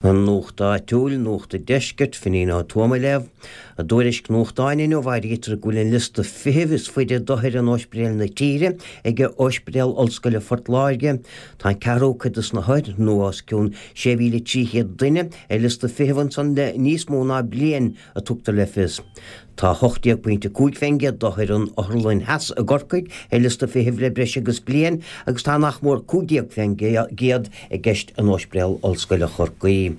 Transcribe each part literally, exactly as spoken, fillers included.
An Nuacht Áitiúil, Nuacht an Deiscirt, Finín Ó Tuama á léamh. I dtuairisc nuachtáin inniu áirítear go bhfuil an liosta feithimh is faide d'othair in ospidéil na tíre ag Ospidéal Ollscoile Phort Láirge. Tá an ceathrú cuid de na hothair, nó os cionn sé mhíle trí chéad duine, ar liosta feithimh ansan le níos mó ná bliain, a tugtar le fios. Tá ocht déag pointe cúig fén gcéad d'othair an Otharlann Theas i gCorcaigh ar liosta feithimh le breis agus bliain agus tá nach mór cúig déag fén gcéad i gceist in Ospidéal Ollscoile Chorcaí.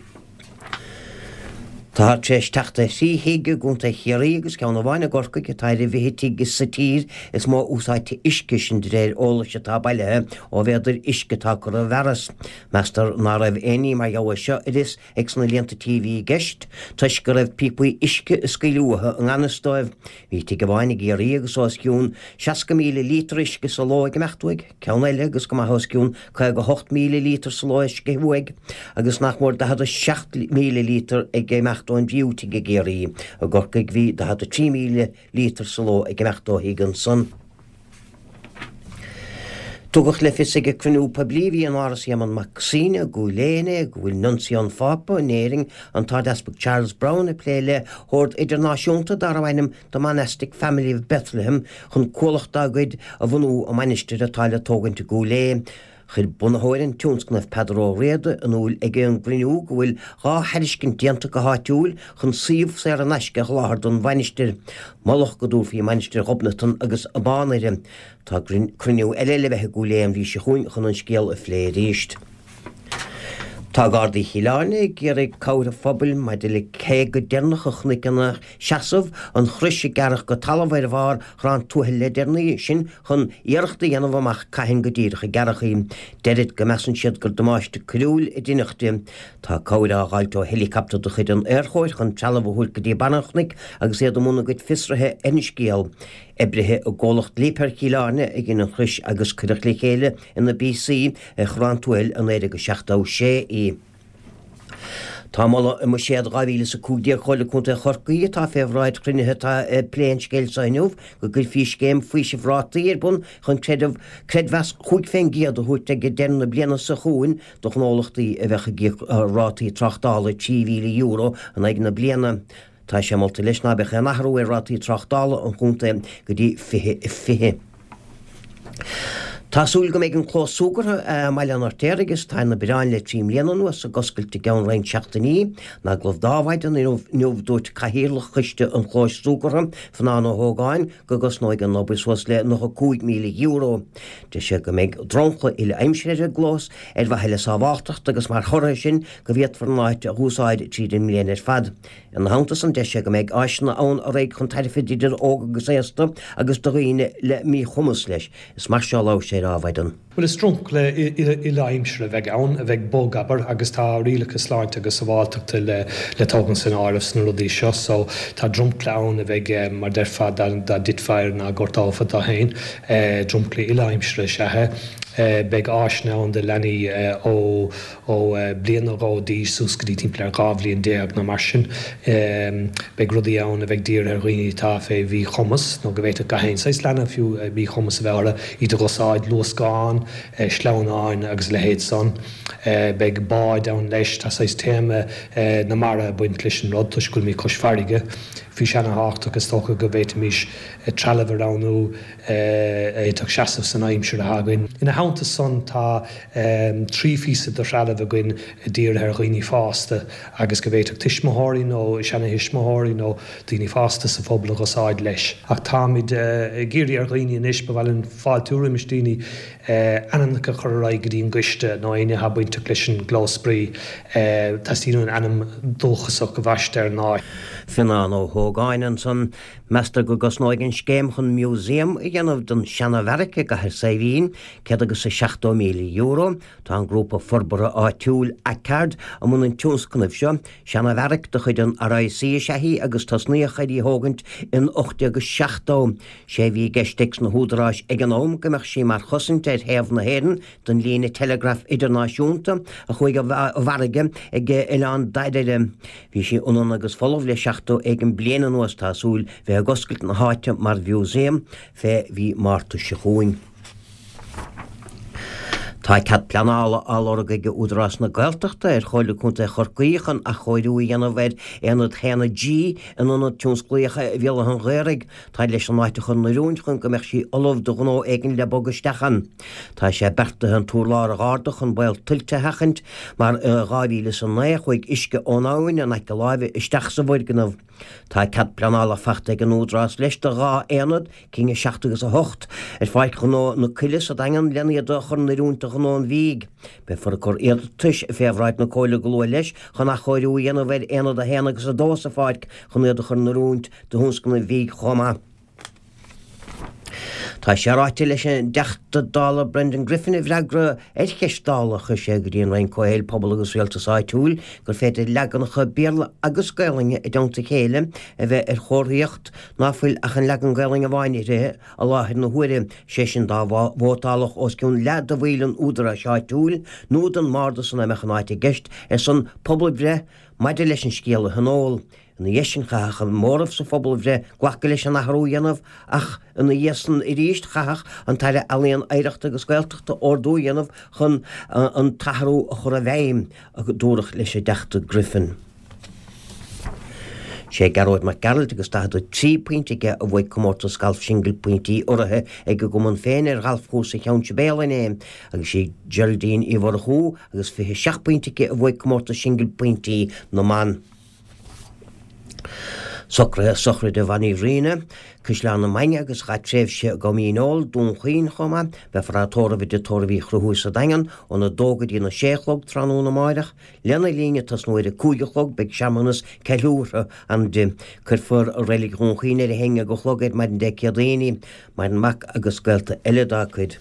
Táthar tar éis teacht ar thrí thigh i gContae Chiarraí agus ceann amháin i gCorcaigh atá ar an bhfiche tigh sa tír is mó úsáidte uisce, sin de réir eolais atá bailithe ó mhéadair uisce atá curtha i bhfearas. Meastar ná raibh aon ní mar gheall air seo ar fhios ag sna líonta tí a bhí i gceist, toisc go raibh píopaí uisce ag scaoileadh uathu i ngan fhios dóibh. Bhí tigh amháin i gCiarraí agus os cionn seasca míle líotar uisce sa ló ag imeacht uaidh, ceann eile agus go maith os cionn caoga hocht míle líotar sa ló ag sceitheadh uaidh, agus nach mór daichead a seacht míle líotar ag imeacht ón dtríú tigh i gCiarraí. I gCorcaigh bhí daichead a trí míle líotar sa ló ag imeacht ó thigh ansan. Tugadh le fios ag an cruinniú poiblí a bhí in Áras Éamonn Mac Suibhne i gCúil Aodha inné go bhfuil Nuncio an Phápa in Éirinn, an tArdeaspag Charles Browne, ag plé le hord idirnáisiúnta darbh ainm The Monastic Family of Bethlehem chun cuallacht dá gcuid a bhunú i mainistir atá le tógaint i gCúil Aodha. Chuir bunaitheoir an tionscnaimh Peadar Ó Riada in iúl ag an gcruinniú go bhfuil dhá thairiscint déanta go háitiúil chun suíomh saor in aisce a sholáthar don mhainistir. Moladh go dtabharfaí Mainistir Ghobnatan agus Bánaire. Tá cruinniú eile le bheith i gCúil Aodha an mhí seo chugainn chun an scéal a phlé arís. Tá Gardaí Chill Airne ag iarraidh cabhair an phobail maidir le cé go deireanach a chonaic ina seasamh, an chrois a gearradh go talamh ar bharr Chrann Tuathail le deireanaí, sin chun iarracht a dhéanamh amach cathain go díreach a gearradh í. Deirid go measann siad gur damáiste coiriúil a deineadh di. Tá cabhair á dh'fháilt ó heileacaptar de chuid an Aerchóir chun trealamh a thabhairt go dtí barr an chnoic agus iad i mbun a gcuid fiosraithe ar an scéal. Oibrithe i gcomhlacht Liebherr Chill Airne a dhein an chrois agus cuireadh le chéile ina bpíosaí ar Chrann Tuathail i naoi déag a seachtó sé í. Tá moladh i mBuiséad dhá mhíle is a cúig déag Chomhairle Contae Chorcaí atá fé bhráid chruinnithe atá ag plé an scéil seo inniu go gcuirfí scéim faoisimh rátaí ar bun chun creideamh creidmheas chúig fén gcéad a thabhairt ag deireadh na bliana seo chugainn do ghnólachtaí a bheadh ag íoc rátaí tráchtála trí mhíle euro in aghaidh na bliana. Tá sé molta leis ná beadh aon athrú ar rátaí tráchtála an chontae go dtí fiche fiche. Tá súil go mbeidh an clós súgartha i mBaile an Fheirtéaraigh is atá ina bhioráin le trí mbliana anuas ag oscailt i gceann roinnt seachtainí. In agallamh d'Adhmhaidin inniu dúirt Cathaoirleach Choiste an Chlóis Súgartha, Fionán Ó hÓgáin, go gcosnóidh an obair suas le nócha cúig míle euro. Deir sé go mbeidh dromchla uile-aimsire ar an gclós ar mhaithe le sábháltacht agus mar thoradh air sin go bhféadfar an áit a dh'úsáid tríd an mbliain ar fad. Ina theannta san deir sé go mbeidh áiseanna ann a raghaidh chun tairbhe d'idir óg agus aosta agus do dhaoine le míchumas leis. Is mar seo a labhair sé ar Adhmhaidin. Bhuel, is dromchla uile-aimsire a bheidh ann, a bheidh bog, abair, agus tá rialacha sláinte agus sábháilteachta le le tógaint san áireamh sna rudaí seo. So, tá dromchla ann a bheidh, mar déarfá, dá dtitfeá air ná gortófá tú féin. Dromchla uile-aimsire is ea é. Beidh áiseanna ann do leanaí ó ó bliain nó dhó d'aois suas go dtí timpeall ar dhá bhliain déag nó mar sin. Beidh rudaí ann a bheidh dírithe ar dhaoine atá fé mhíchumas, nó go bhféadfadh gach aon saghas leanbh fiú míchumas a bheith orthu, iad a dh'usáid, luascáin, sleamhnáin agus a leithéid san. Beidh báid ann leis, tá saghas téama na mara ag baint leis an rud toisc go bhfuilimid cois farraige. Bhí sé ana-thábhachtach is dócha go bhféadfaimis trealamh a roghnú a fhéadfadh seasamh san aimsir atá againn. Ina theannta san tá trí phíosa de threalamh againn dírithe ar dhaoine fásta agus go bhféadfadh tuismitheoirí nó seana-thuismitheoirí nó daoine fásta sa phobal a dh'usáid leis. Ach táimid ag iarraidh ar dhaoine anois, ba mhaith linn fáiltiú roimis daoine ainmneacha a chur ar aghaidh go dtí an gcoiste nó éinne atá bainteach leis an gclós spraoi. Teastaíonn uainn ainm dúchasach a bhaisteadh ar an áit. Fionán Ó hÓgáin ansan. Meastar go gcosnóidh an scéim chun museum a dhéanamh den seana-bheairic i gCathair Saidhbhín céad agus a seachtó míle euro. Tá an grúpa forbartha áitiúil Acard i mbun an tionscnaimh seo. Seana-bheairic de chuid an R I C is ea í agus tosnaíodh ar í thógaint in ocht déag seachtó. Sé a bhí i gceist ag na húdaráis ag an am go mbeadh sí mar chosaint ar thaobh na hÉireann don líne teileagraif idirnáisiúnta a chuaigh i bhfarraige ag Oileán Dairbhre. Bhí sí ionann agus folamh le seachtó éigin bliain anuas. Tá súil bheith ag oscailt na háite mar mhúsaem fé mhí Márta seo chugainn. Tá Tá cead pleanála á lorg ag Údarás na Gaeltachta ar Chomhairle Contae Chorcaí chun athchóiriú a dhéanamh ar Aonad a haon G in Ionad Tionsclaíoch Bhéal Átha an Ghaorthaidh. Tá leis an áit a chur in oiriúint chun go mbeadh sí ullamh do ghnó éigin le bogadh isteach ann. Tá sé beartaithe an t-urlár a dh'ardú chun baol tuilte a sheachaint mar i dhá mhíle is a naoi chuaigh uisce ón abhainn in aice láimhe isteach sa bhfoirgneamh. Tá cead pleanála faighte ag an Údarás leis do dhá aonad, cinn a seacht agus a hocht, ar Pháirc Ghnó na Coille sa Daingean lena iad a chur in oiriúint do ghnó an bhídh. Beifear ag cur iarratais fé bhráid na Comhairle go luath leis chun athchóiriú a dhéanamh ar aonad a haon agus a dó sa pháirc chun iad a chur in oiriúint do thionscnaimh bhídh chomh maith. Tá sé ráite leis an dTeachta Dála Brendan Griffin i bhfreagra ar cheist Dála a chuir sé go dtí an Roinn Comhshaoil, Pobal agus Rialtais Áitiúil gur féidir leaganacha Béarla agus Gaelainne i dteannta a chéile a bheith ar chomharthaíocht ná fuil ach an leagan Gaelainne amháin uirthi i láthair na huaire, sé sin dá vótálfadh os cionn leath de bhaill an údaráis áitiúil nó den mbardas ina mbeadh an áit i gceist ar son pobalbhreith maidir leis an scéal a thionól. Ina dhiaidh sin chaithfeadh an móramh sa phobalbhreith glacadh leis an athrú a dhéanamh ach ina dhiaidh san arís chaithfeadh an tAire Ealaíon, Oidhreachta agus Gaeltachta ordú a dhéanamh chun an t-athrú a chur i bhfeidhm, a dúradh leis an dTeachta Griffin. Sé Gearóid Mac Gearailt agus daichead a trí pointe aige a bhuaigh comórtas galf singil pointí urraithe ag a gcumann féin ar ghalfchúrsa Cheann Sibéal inné agus sí Geraldine Uí Mhurchú agus fiche seacht pointe aici a bhuaigh comórtas singil pointí na mban. Socruithe sochraide Mhonnie Rinne, Caisleán na Mainge agus a chaith tréimhse i gCom Dhíneol, Dún Chaoin chomh maith. Beifear á tórramh i dTigh Tórraimh Uí Chonchúir sa Daingean óna dó go dtí na sé a chlog tráthnóna amáireach. Lena linn, ag tosnú ar a cúig a chlog, beidh searmanas ceiliúrtha ann di. Cuirfear i Reilig Dhún Chaoin ar a haon déag a chlog ar maidin Dé Céadaoine. Maireann mac agus gaolta eile dá cuid.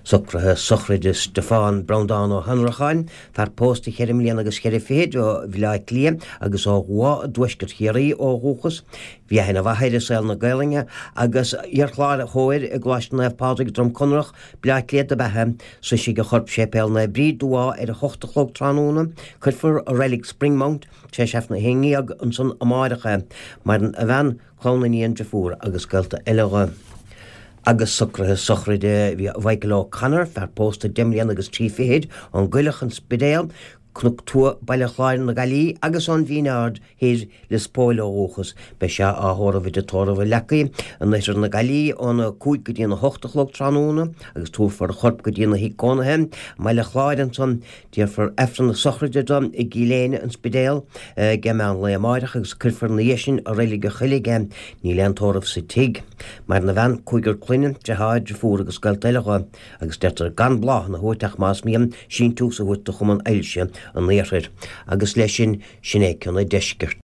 Socruithe sochraide Stiofán Breandán Ó hAnnracháin, fear pósta cheithre mbliana agus ceithre fichid ó Bhaile Átha Cliath agus ó Dhumha i dtuaisceart Chiarraí ó dhúchas. Bhí aithne mhaith air i saol na Gaelainne agus iarchláraitheoir i gColáiste Naomh Pádraig, Droim Conrach, Baile Átha Cliath dob ea é. Sroisfidh a chorp Séipéal Naomh Bríd, Dumhá ar a hocht a chlog tráthnóna. Cuirfear i reilig Springmount tar éis Aifreann a haon déag ansan amáireach é. Maireann a bhean, clann, iníon, driofúr agus gaolta eile dho. Agus socruithe sochraide Mhichael O'Connor, fear pósta deich mbliana agus trí fichid, ón gCoileach, An Spidéal, Cnoc Tua, Baile Chláir na Gaillimhe agus ón Mhín Aird Thoir, Lios Póil ó dhúchas. Beidh sé á thórramh i dTigh Tórraimh an Leacaigh in oirthear na Gaillimhe óna cúig go dtí a hocht a chlog tráthnóna agus tabharfar a chorp go dtína thigh cónaithe i mBaile Chláir ansan. Déarfar Aifreann na sochraide dó i gCill Éinne, An Spidéal, ag meán lae amáireach agus cuirfear ina dhiaidh sin i Reilig an Choilligh é. Níl aon tórramh sa tigh. Maireann a bhean, cúigear clainne, deartháir, driofúr agus gaolta eile dho, agus deirtear gan bláthanna a thabhairt ach más mian síntiús a thabhairt do Chumann Ailse an Iarthair. Agus leis sin, sin é cionn an deiscirt.